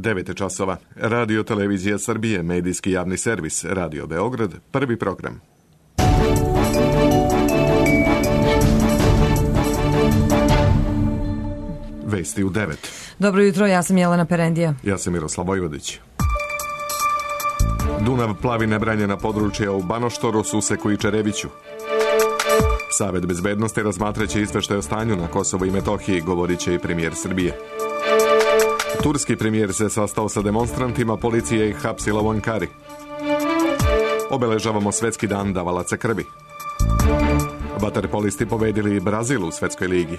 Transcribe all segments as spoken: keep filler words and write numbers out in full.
devet časova. Radio Televizija Srbije, medijski javni servis, Radio Beograd, prvi program. Vesti u devet. Dobro jutro, ja sam Jelena Perendija. Ja sam Miroslav Vojvodić. Dunav plavi nebranjena područja u Banoštoru, Suseku i Čereviću. Savet bezbednosti razmatraće izveštaj o stanju na Kosovo i Metohiji, govorit će i premijer Srbije. Turski premijer se sastao sa demonstrantima, policija ih hapsila u Ankari. Obeležavamo svetski dan davalaca krvi. Vaterpolisti pobedili Brazil u svetskoj ligi.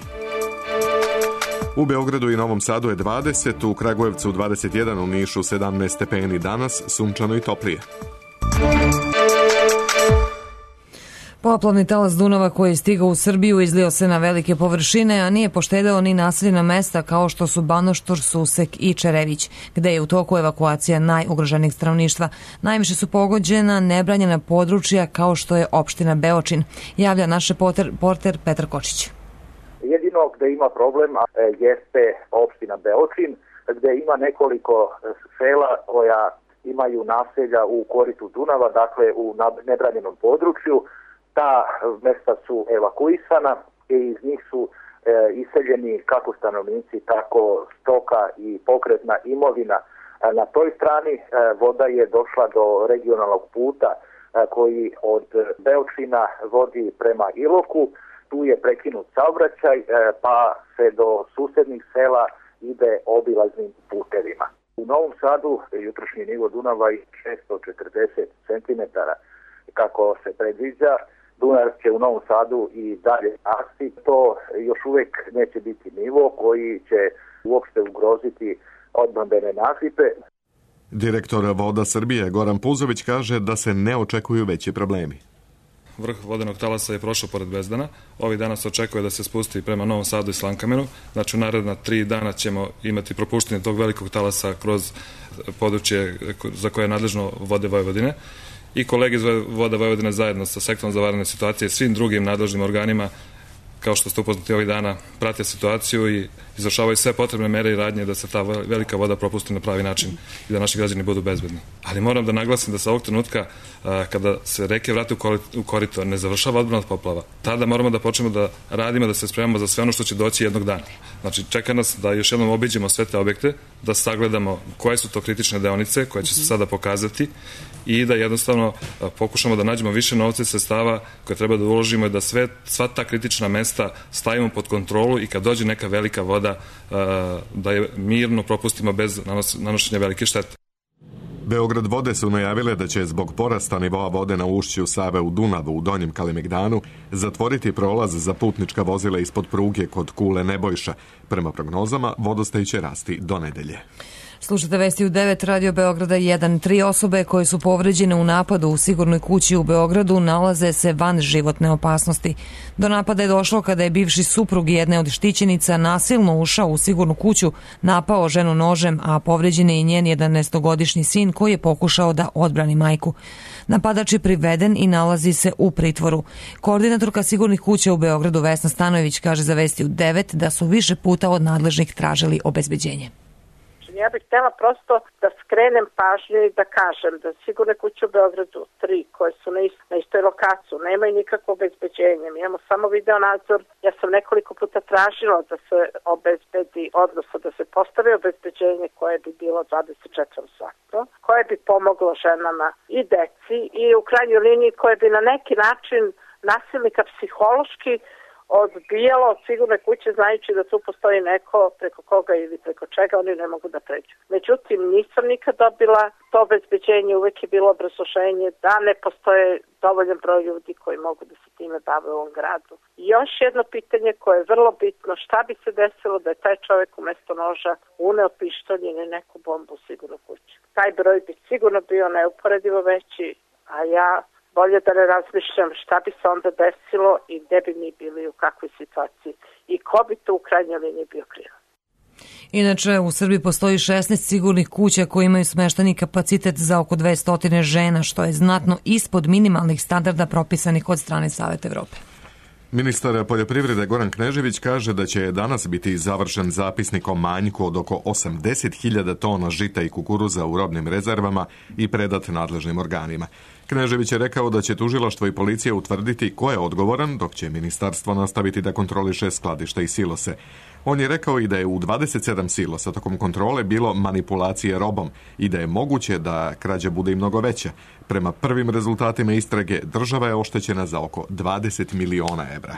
U Beogradu i Novom Sadu je dvadeset, u Kragujevcu dvadeset jedan, u Nišu sedamnaest stepeni danas, sunčano i toplije. Poplavni talas Dunava koji je stigao u Srbiju izlio se na velike površine, a nije poštedeo ni naseljena mesta kao što su Banoštor, Susek i Čerević, gde je u toku evakuacija najugroženijeg stanovništva. Najviše su pogođena nebranjena područja kao što je opština Beočin, javlja naš reporter, reporter Petar Kočić. Jedino gde ima problem jeste opština Beočin, gde ima nekoliko sela koja imaju naselja u koritu Dunava, dakle u nebranjenom području. Ta mesta su evakuisana i iz njih su e, iseljeni kako stanovnici, tako stoka i pokretna imovina. E, na toj strani e, voda je došla do regionalnog puta e, koji od Beočina vodi prema Iloku. Tu je prekinut saobraćaj, e, pa se do susednih sela ide obilaznim putevima. U Novom Sadu jutrošnji nivo Dunava je šesto četrdeset centimetara kako se predviđa. Dunav će u Novom Sadu i dalje rasti. To još uvijek neće biti nivo koji će uopšte ugroziti odbrambene nasipe. Direktor Voda Srbije Goran Puzović kaže da se ne očekuju veći problemi. Vrh vodenog talasa je prošao pored Bezdana. Ovih dana se očekuje da se spusti prema Novom Sadu i Slankamenu. Znači u naredna tri dana ćemo imati propuštenje tog velikog talasa kroz područje za koje je nadležno Vode Vojvodine. I kolege iz Voda Vojvodine zajedno sa sektorom za vanredne situacije i svim drugim nadležnim organima, kao što ste upoznati ovih dana, prate situaciju i izvršavaju sve potrebne mere i radnje da se ta velika voda propusti na pravi način i da naši građani budu bezbedni. Ali moram da naglasim da sa ovog trenutka, kada se reke vrate u korito, ne završava odbrana od poplava. Tada moramo da počnemo da radimo, da se spremamo za sve ono što će doći jednog dana. Znači, čeka nas da još jednom obiđemo sve te objekte, da sagledamo koje su to kritične deonice koje će se sada pokazati i da jednostavno pokušamo da nađemo više novca i sredstava koje treba da uložimo i da sve, sva ta kritična mesta stavimo pod kontrolu i kad dođe neka velika voda da je mirno propustimo bez nanošenja velike štete. Beograd vode su najavile da će zbog porasta nivoa vode na ušću Save u Dunavu u Donjem Kalemegdanu zatvoriti prolaz za putnička vozila ispod pruge kod Kule Nebojša. Prema prognozama, vodostaj će rasti do nedelje. Slušate vesti u devet, Radio Beograda jedan. Tri osobe koje su povređene u napadu u sigurnoj kući u Beogradu nalaze se van životne opasnosti. Do napada je došlo kada je bivši suprug jedne od štićenica nasilno ušao u sigurnu kuću, napao ženu nožem, a povređen je i njen jedanaestogodišnji sin koji je pokušao da odbrani majku. Napadač je priveden i nalazi se u pritvoru. Koordinatorka sigurnih kuća u Beogradu Vesna Stanojević kaže za vesti u devet da su više puta od nadležnih tražili obezbeđenje. Ja bih htjela prosto da skrenem pažnju i da kažem da sigurne kuće u Beogradu, tri koje su na, ist, na istoj lokaciji, nemaju nikakvo obezbeđenje. Mi imamo samo video nadzor. Ja sam nekoliko puta tražila da se obezbedi, odnosno da se postavi obezbeđenje koje bi bilo dvadeset četiri sata, koje bi pomoglo ženama i deci i u krajnjoj liniji koje bi na neki način nasilnika psihološki odbijalo od sigurne kuće znajući da tu postoji neko preko koga ili preko čega oni ne mogu da pređu. Međutim, nisam nikad dobila to obezbeđenje, uvek je bilo obrazloženje da ne postoje dovoljan broj ljudi koji mogu da se time bave u ovom gradu. I još jedno pitanje koje je vrlo bitno, šta bi se desilo da je taj čovjek umesto noža uneo pištolj ili neku bombu u sigurnu kuću. Taj broj bi sigurno bio neuporedivo veći, a ja bolje da ne razmišljam šta bi se onda desilo i gde bi mi bili, u kakvoj situaciji i ko bi to u krajnjoj liniji bio kriv. Inače, u Srbiji postoji šesnaest sigurnih kuća koje imaju smešteni kapacitet za oko dvesta žena, što je znatno ispod minimalnih standarda propisanih od strane Saveta Evrope. Ministar poljoprivrede Goran Knežević kaže da će danas biti završen zapisnik o manjku od oko osamdeset hiljada tona žita i kukuruza u robnim rezervama i predat nadležnim organima. Knežević je rekao da će tužilaštvo i policija utvrditi ko je odgovoran, dok će ministarstvo nastaviti da kontroliše skladišta i silose. On je rekao i da je u dvadeset sedam silosa tokom kontrole bilo manipulacije robom i da je moguće da krađa bude i mnogo veća. Prema prvim rezultatima istrage, država je oštećena za oko dvadeset miliona evra.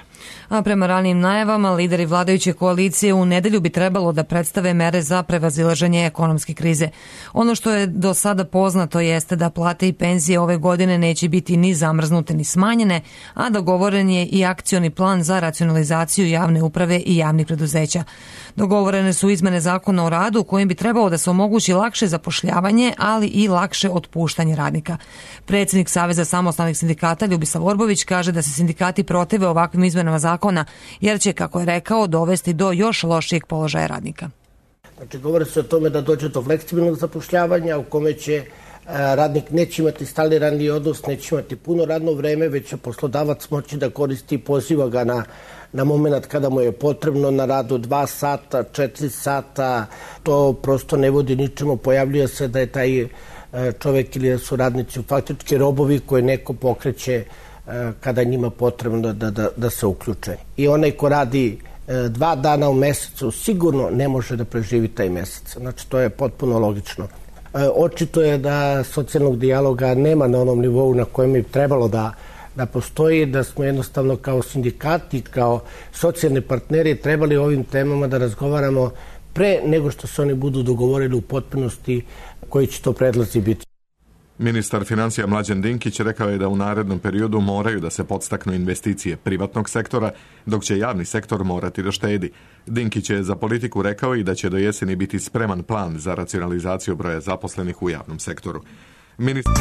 A prema ranijim najavama, lideri vladajuće koalicije u nedelju bi trebalo da predstave mere za prevazilaženje ekonomske krize. Ono što je do sada poznato jeste da plate i penzije ove godine neće biti ni zamrznute ni smanjene, a dogovoren je i akcioni plan za racionalizaciju javne uprave i javnih preduzeća. Dogovorene su izmene zakona o radu kojim bi trebalo da se omogući lakše zapošljavanje, ali i lakše otpuštanje radnika. Predsjednik Saveza samostalnih sindikata Ljubisav Orbović kaže da se sindikati protive ovakvim izmenama zakona, jer će, kako je rekao, dovesti do još lošijeg položaja radnika. Znači, govori se o tome da dođe do fleksibilnog zapošljavanja u kome će radnik neće imati stalni radni odnos, neće imati puno radno vreme, već će poslodavac moći da koristi, poziva ga na, na moment kada mu je potrebno na radu dva sata, četiri sata. To prosto ne vodi ničemu. Pojavljuje se da je taj čovek ili da su radnici faktički robovi koje neko pokreće kada njima potrebno da, da, da se uključe. I onaj ko radi dva dana u mesecu sigurno ne može da preživi taj mesec. Znači, to je potpuno logično. Očito je da socijalnog dijaloga nema na onom nivou na kojem bi trebalo da, da postoji, da smo jednostavno kao sindikati, kao socijalni partneri trebali o ovim temama da razgovaramo pre nego što se oni budu dogovorili u potpunosti koji će to predlazi biti. Ministar financija Mlađan Dinkić rekao je da u narednom periodu moraju da se podstaknu investicije privatnog sektora, dok će javni sektor morati da štedi. Dinkić je za Politiku rekao i da će do jeseni biti spreman plan za racionalizaciju broja zaposlenih u javnom sektoru. Ministar...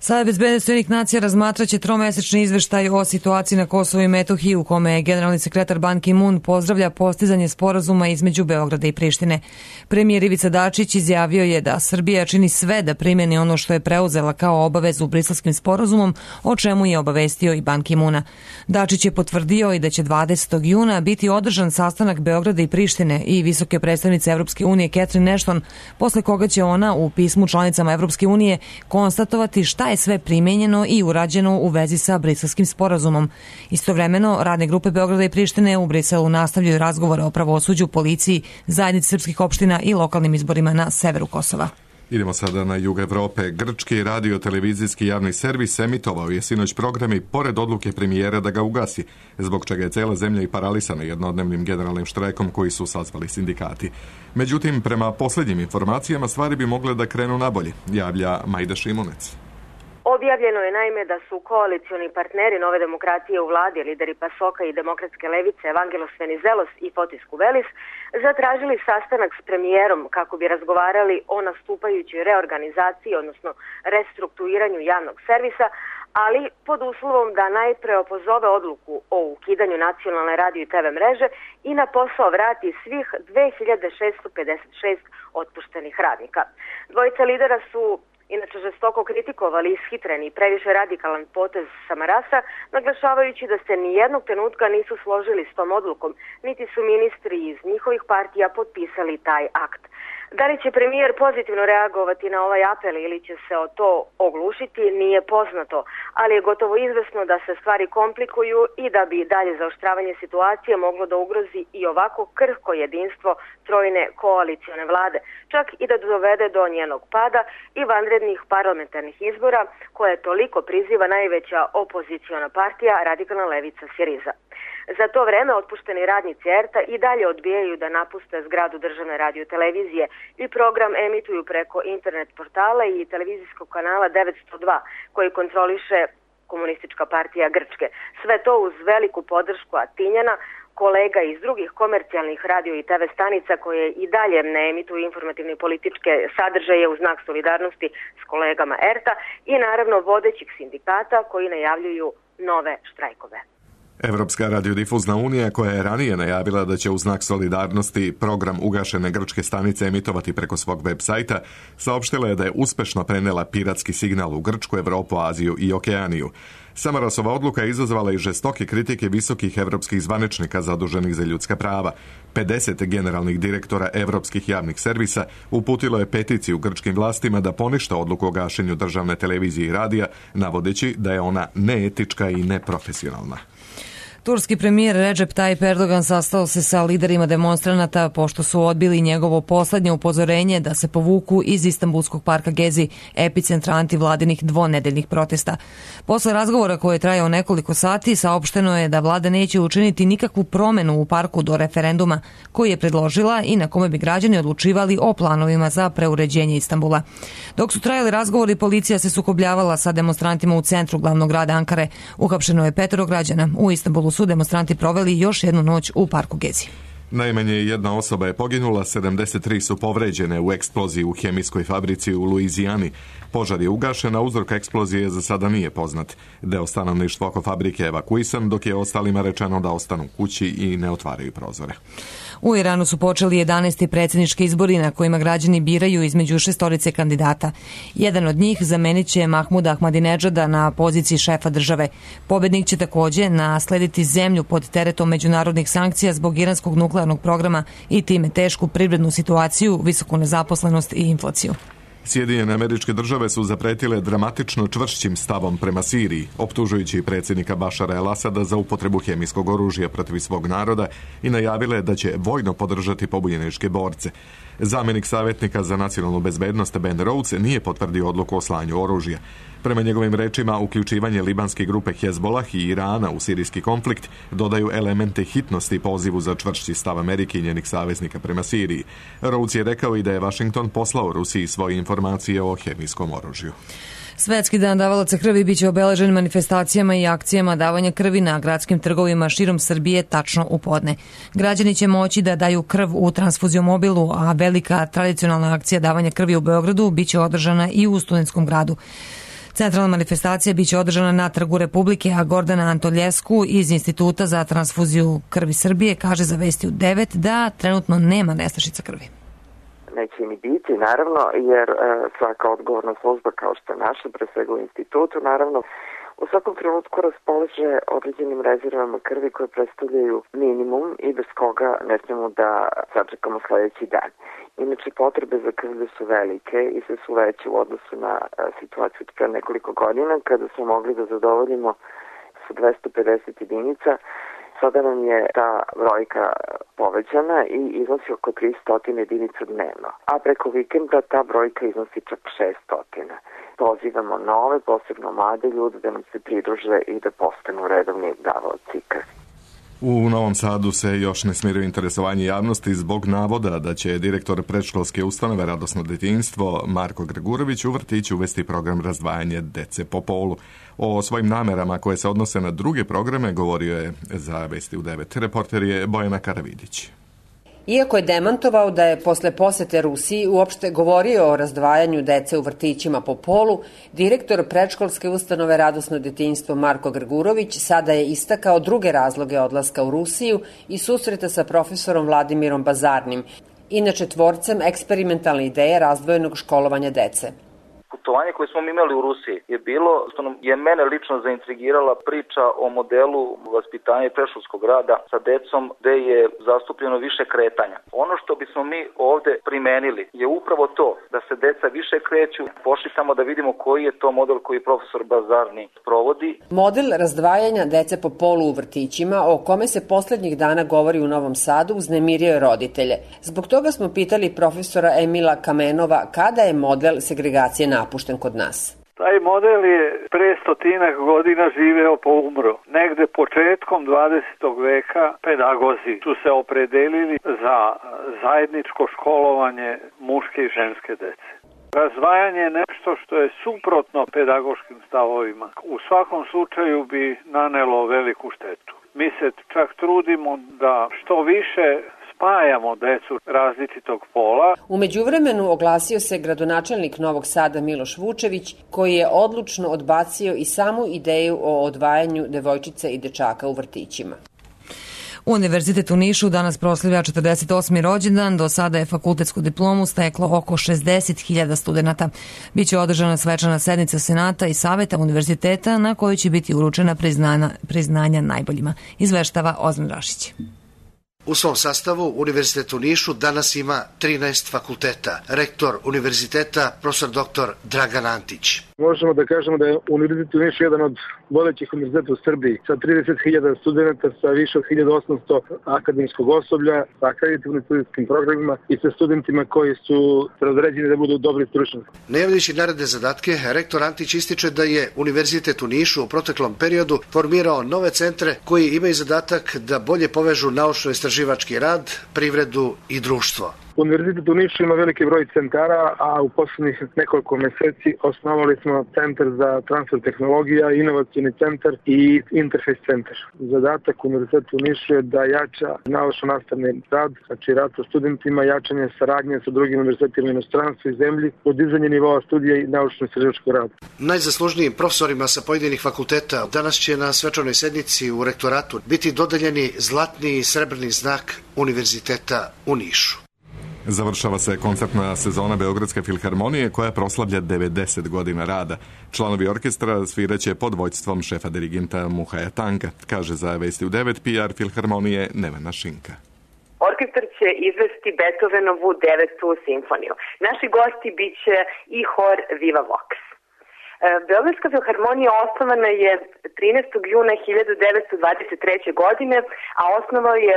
Savet bezbednosti Ujedinjenih nacija razmatraće tromesečni izveštaj o situaciji na Kosovu i Metohiji u kome je generalni sekretar Ban Ki-moon pozdravlja postizanje sporazuma između Beograda i Prištine. Premijer Ivica Dačić izjavio je da Srbija čini sve da primjeni ono što je preuzela kao obavezu Briselskim sporazumom, o čemu je obavestio i Ban Ki-moona. Dačić je potvrdio i da će dvadesetog juna biti održan sastanak Beograda i Prištine i visoke predstavnice Evropske unije Catherine Ashton, posle koga će ona u pismu članicama Evropske unije konstatovati šta je sve primenjeno i urađeno u vezi sa Briselskim sporazumom. Istovremeno, radne grupe Beograda i Prištine u Briselu nastavljaju razgovore o pravosuđu, policiji, zajednici srpskih opština i lokalnim izborima na severu Kosova. Idemo sada na jug Evrope. Grčki radio-televizijski javni servis emitovao je sinoć programi pored odluke premijera da ga ugasi, zbog čega je cela zemlja i paralisana jednodnevnim generalnim štrajkom koji su sazvali sindikati. Međutim, prema posljednjim informacijama stvari bi mogle da krenu nabolje, javlja Majda Šimunec. Objavljeno je naime da su koalicioni partneri Nove demokratije u vladi, lideri Pasoka i demokratske levice Evangelos Venizelos i Fotis Kuvelis, zatražili sastanak s premijerom kako bi razgovarali o nastupajućoj reorganizaciji, odnosno restrukturiranju javnog servisa, ali pod uslovom da najpre opozove odluku o ukidanju nacionalne radio i te ve mreže i na posao vrati svih dve hiljade šeststo pedeset šest otpuštenih radnika. Dvojica lidera su inače žestoko kritikovali ishitreni i previše radikalan potez Samarasa, naglašavajući da se nijednog trenutka nisu složili s tom odlukom, niti su ministri iz njihovih partija potpisali taj akt. Da li će premijer pozitivno reagovati na ovaj apel ili će se o to oglušiti, nije poznato, ali je gotovo izvesno da se stvari komplikuju i da bi dalje zaoštravanje situacije moglo da ugrozi i ovako krhko jedinstvo trojne koalicione vlade, čak i da dovede do njenog pada i vanrednih parlamentarnih izbora koje toliko priziva najveća opoziciona partija Radikalna levica Siriza. Za to vreme otpušteni radnici er te a i dalje odbijaju da napuste zgradu državne radiotelevizije i program emituju preko internet portala i televizijskog kanala devetsto dva koji kontroliše Komunistička partija Grčke. Sve to uz veliku podršku Atinjana, kolega iz drugih komercijalnih radio i te ve stanica koje i dalje ne emituju informativne političke sadržaje u znak solidarnosti s kolegama er te a i naravno vodećih sindikata koji najavljuju nove štrajkove. Evropska radiodifuzna unija, koja je ranije najavila da će u znak solidarnosti program ugašene grčke stanice emitovati preko svog web sajta, saopštila je da je uspešno prenela piratski signal u Grčku, Evropu, Aziju i Okeaniju. Samarasova odluka je izazvala i žestoke kritike visokih evropskih zvaničnika zaduženih za ljudska prava. pedeset generalnih direktora evropskih javnih servisa uputilo je peticiju grčkim vlastima da poništa odluku o gašenju državne televizije i radija, navodeći da je ona neetička i neprofesionalna. Turski premijer Recep Tayyip Erdogan sastao se sa liderima demonstranata pošto su odbili njegovo poslednje upozorenje da se povuku iz Istanbulskog parka Gezi, epicentra antivladinih dvonedeljnih protesta. Posle razgovora koji je trajao nekoliko sati, saopšteno je da vlada neće učiniti nikakvu promenu u parku do referenduma koji je predložila i na kome bi građani odlučivali o planovima za preuređenje Istanbula. Dok su trajali razgovori, policija se sukobljavala sa demonstrantima u centru glavnog grada Ankare. Uhapšeno je petoro građana. U Istanbulu su demonstranti proveli još jednu noć u parku Gezi. Najmanje jedna osoba je poginula, sedamdeset tri su povređene u eksploziji u hemijskoj fabrici u Luizijani. Požar je ugašen, a uzrok eksplozije za sada nije poznat. Deo stanovništva oko fabrike je evakuisan, dok je ostalima rečeno da ostanu kući i ne otvaraju prozore. U Iranu su počeli jedanaesti predsjednički izbori na kojima građani biraju između šestorice kandidata. Jedan od njih zamenit će Mahmuda Ahmadinedžada na poziciji šefa države. Pobednik će takođe naslediti zemlju pod teretom međunarodnih sankcija zbog iranskog nuklearnog programa i time tešku privrednu situaciju, visoku nezaposlenost i inflaciju. Sjedinjene Američke Države su zapretile dramatično čvršćim stavom prema Siriji, optužujući predsjednika Bašara el-Asada za upotrebu hemijskog oružja protiv svog naroda i najavile da će vojno podržati pobunjeničke borce. Zamenik savjetnika za nacionalnu bezbednost Ben Rhodes nije potvrdio odluku o slanju oružja. Prema njegovim rečima, uključivanje libanske grupe Hezbollah i Irana u sirijski konflikt dodaju elemente hitnosti pozivu za čvršći stav Amerike i njenih saveznika prema Siriji. Rhodes je rekao i da je Washington poslao Rusiji svoje informacije o hemijskom oružju. Svetski dan davalaca krvi biće obeležen manifestacijama i akcijama davanja krvi na gradskim trgovima širom Srbije tačno u podne. Građani će moći da daju krv u transfuziomobilu, a velika tradicionalna akcija davanja krvi u Beogradu biće održana i u Studentskom gradu. Centralna manifestacija biće održana na Trgu Republike, a Gordana Antoljesku iz Instituta za transfuziju krvi Srbije kaže za Vesti u devet da trenutno nema nestašica krvi. Neće ni biti, naravno, jer e, svaka odgovorna služba kao što je naša, pre svega u institutu, naravno, u svakom trenutku raspolaže određenim rezervama krvi koje predstavljaju minimum i bez koga ne smemo da sačekamo sledeći dan. Inače, potrebe za krvlju su velike i sve su veće u odnosu na a, situaciju pre nekoliko godina kada smo mogli da zadovoljimo sa dvesta pedeset jedinica. Sada nam je ta brojka povećana i iznosi oko tristo jedinica dnevno, a preko vikenda ta brojka iznosi čak šesto. Pozivamo nove, posebno mlade ljude da nam se pridruže i da postanu redovni davaoci krvi. U Novom Sadu se još ne smiruje interesovanje javnosti zbog navoda da će direktor predškolske ustanove Radosno detinjstvo Marko Gregurović u vrtiću uvesti program razdvajanja dece po polu. O svojim namerama koje se odnose na druge programe govorio je za Vesti u devet. Reporter je Bojana Karavidić. Iako je demantovao da je posle posete Rusiji uopšte govorio o razdvajanju dece u vrtićima po polu, direktor predškolske ustanove Radosno detinjstvo Marko Gregurović sada je istakao druge razloge odlaska u Rusiju i susreta sa profesorom Vladimirom Bazarnim, inače tvorcem eksperimentalne ideje razdvojenog školovanja dece. Putovanje koje smo imali u Rusiji je bilo, što je mene lično zaintrigirala priča o modelu vaspitanja i predškolskog rada sa decom gde je zastupljeno više kretanja. Ono što bismo mi ovde primenili je upravo to da se deca više kreću. Pošli samo da vidimo koji je to model koji profesor Bazarni provodi. Model razdvajanja dece po polu u vrtićima, o kome se poslednjih dana govori u Novom Sadu, uznemirio je roditelje. Zbog toga smo pitali profesora Emila Kamenova kada je model segregacije napušten kod nas. Taj model je pre stotinak godina živeo pa umro. Negde početkom dvadesetog veka pedagozi su se opredelili za zajedničko školovanje muške i ženske dece. Razdvajanje je nešto što je suprotno pedagoškim stavovima. U svakom slučaju bi nanelo veliku štetu. Mi se čak trudimo da što više spajamo decu različitog pola. U međuvremenu oglasio se gradonačelnik Novog Sada Miloš Vučević, koji je odlučno odbacio i samu ideju o odvajanju devojčica i dečaka u vrtićima. Univerzitet u Nišu danas proslavlja četrdeset osmi rođendan, do sada je fakultetsku diplomu steklo oko šezdeset hiljada studenta. Biće održana svečana sednica Senata i Saveta univerziteta na kojoj će biti uručena priznanja, priznanja najboljima. Izveštava Ozan Rašić. U svom sastavu Univerzitet u Nišu danas ima trinaest fakulteta. Rektor univerziteta, profesor doktor Dragan Antić. Možemo da kažemo da je Univerzitet u Nišu jedan od vodećih univerziteta u Srbiji sa trideset hiljada studenta, sa više od hiljadu osamsto akademskog osoblja, sa akreditivnim studijskim programima i sa studentima koji su razređeni da budu dobri stručnjaci. Najavljajući naredne zadatke, rektor Antić ističe da je Univerzitet u Nišu u proteklom periodu formirao nove centre koji imaju zadatak da bolje povežu naučno-istraživački rad, privredu i društvo. Univerzitet u Nišu ima veliki broj centara, a u poslednjih nekoliko meseci osnovali smo centar za transfer tehnologija, inovacijni centar i interfejs centar. Zadatak Univerziteta u Nišu je da jača naučno-nastavni rad, znači rad sa studentima, jačanje saradnje sa drugim univerzitetima u inostranstvu i zemlji, podizanje nivoa studija i naučno-istraživačkog rada. Najzaslužnijim profesorima sa pojedinih fakulteta danas će na svečanoj sednici u rektoratu biti dodeljeni zlatni i srebrni znak Univerziteta u Nišu. Završava se koncertna sezona Beogradske filharmonije koja proslavlja devedeset godina rada. Članovi orkestra sviraće pod vođstvom šefa dirigenta Muhaja Tanka, kaže za Vesti u devet P R filharmonije Nevena Šinka. Orkestar će izvesti Beethovenovu devetu simfoniju. Naši gosti biće i hor Viva Vox. Beogradska filharmonija osnovana je trinaestog juna hiljadu devetsto dvadeset treće. godine, a osnovao je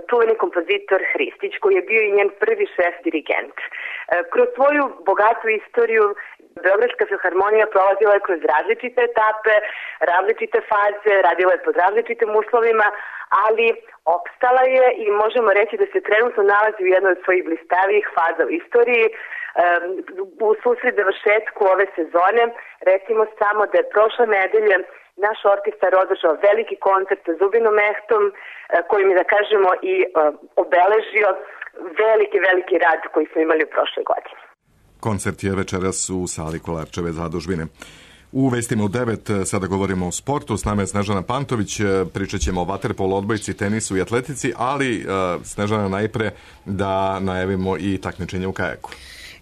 čuveni kompozitor Hristić, koji je bio i njen prvi šef dirigent. Kroz svoju bogatu istoriju Beogradska filharmonija prolazila je kroz različite etape, različite faze, radila je pod različitim uslovima, ali opstala je i možemo reći da se trenutno nalazi u jednoj od svojih blistavijih faza u istoriji. U susret završetku ove sezone recimo samo da je prošle nedelje naš orkestar održao veliki koncert sa Zubinom Mehtom, koji mi da kažemo i obeležio veliki, veliki rad koji smo imali u prošle godine. Koncert je večeras u sali Kolarčeve zadužbine. U Vestima u devet sada govorimo o sportu. S nama je Snežana Pantović, pričat ćemo o vaterpolu, odbojci, tenisu i atletici, ali Snežana najpre da najavimo i takmičenje u kajaku.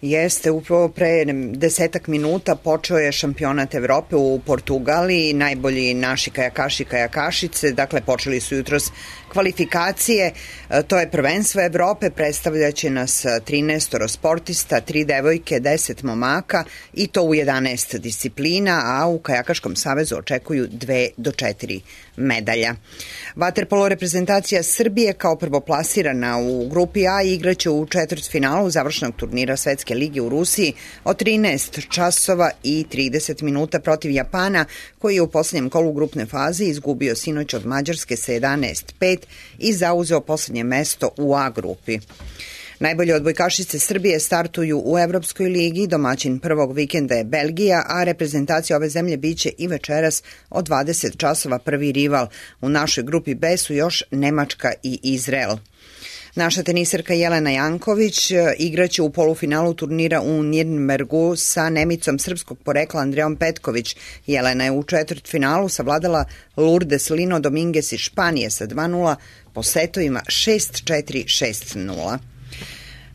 Jeste, upravo pre desetak minuta počeo je šampionat Evrope u Portugaliji, najbolji naši kajakaši i kajakašice, dakle počeli su jutros kvalifikacije, to je prvenstvo Evrope, predstavljaće nas trinaest sportista, tri devojke, deset momaka i to u jedanaest disciplina, a u Kajakaškom savezu očekuju dve do četiri medalja. Vaterpolo reprezentacija Srbije kao prvoplasirana u grupi A igraće u četvrtfinalu završnog turnira Svetske lige u Rusiji od trinaest časova i trideset minuta protiv Japana, koji je u poslednjem kolu grupne faze izgubio sinoć od Mađarske sa jedanaest pet i zauzeo poslednje mesto u A grupi. Najbolje odbojkašice Srbije startuju u Evropskoj ligi, domaćin prvog vikenda je Belgija, a reprezentacija ove zemlje biće i večeras od dvadeset časova prvi rival. U našoj grupi B su još Nemačka i Izrael. Naša teniserka Jelena Janković igraće u polufinalu turnira u Nirnbergu sa Nemicom srpskog porekla Andreom Petković. Jelena je u četvrtfinalu savladala Lourdes Lino Dominguez iz Španije sa dva nula po setovima šest četiri šest nula.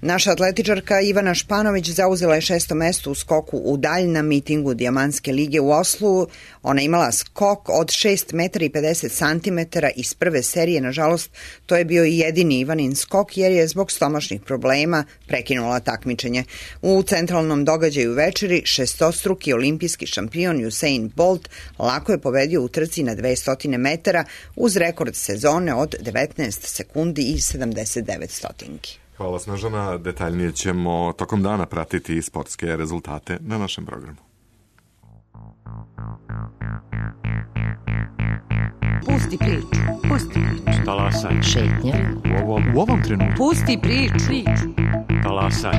Naša atletičarka Ivana Španović zauzela je šesto mesto u skoku u dalj na mitingu Dijamantske lige u Oslu. Ona imala skok od šest metara i pedeset centimetara iz prve serije. Nažalost, to je bio i jedini Ivanin skok jer je zbog stomačnih problema prekinula takmičenje. U centralnom događaju večeri šestostruki olimpijski šampion Usain Bolt lako je pobedio u trci na dvesta metara uz rekord sezone od devetnaest sekundi i sedamdeset devet stotinki. Hvala Snežana, detaljnije ćemo tokom dana pratiti sportske rezultate na našem programu. Pusti priču, pusti priču. Talasaj. Šetnja. U ovom, u ovom trenutku. Pusti priču. Talasaj.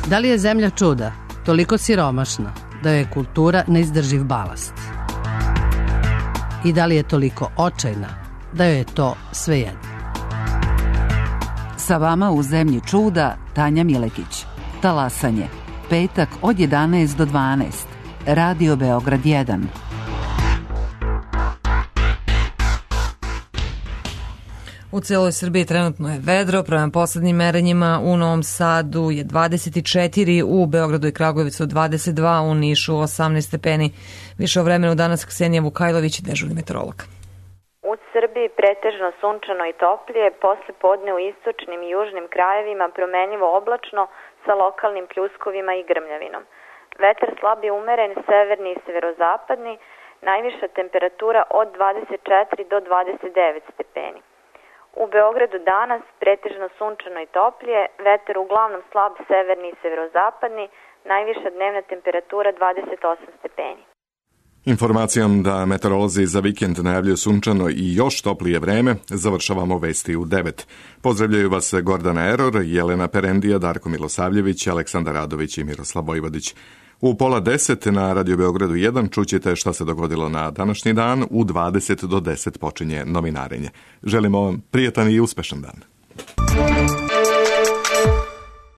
Da li je zemlja čuda, toliko siromašna, da je kultura neizdrživ balast? I da li je toliko očajna, da joj je to svejedno? Sa vama u zemlji čuda Tanja Milekić. Talasanje. Petak od jedanaest do dvanaest. Radio Beograd jedan. U celoj Srbiji trenutno je vedro, prema poslednjim merenjima u Novom Sadu je dvadeset četiri, u Beogradu i Kragujevcu dvadeset dva, u Nišu osamnaest stepeni. Više o vremenu danas Ksenija Vukajlović, dežurni meteorolog. U Srbiji pretežno sunčano i toplije, posle podne u istočnim i južnim krajevima promenljivo oblačno sa lokalnim pljuskovima i grmljavinom. Vetar slab je umeren, severni i severozapadni, najviša temperatura od dvadeset četiri do dvadeset devet stepeni. U Beogradu danas pretežno sunčano i toplije, vetar uglavnom slab severni i severozapadni, najviša dnevna temperatura dvadeset osam stepeni. Informacijom da meteorolozi za vikend najavljuju sunčano i još toplije vreme, završavamo vesti u devet. Pozdravljaju vas Gordana Eror, Jelena Perendija, Darko Milosavljević, Aleksandar Radović i Miroslav Vojvodić. U pola deset na Radio Beogradu jedan čućete šta se dogodilo na današnji dan, u dvadeset do deset počinje novinarenje. Želimo vam prijetan i uspešan dan.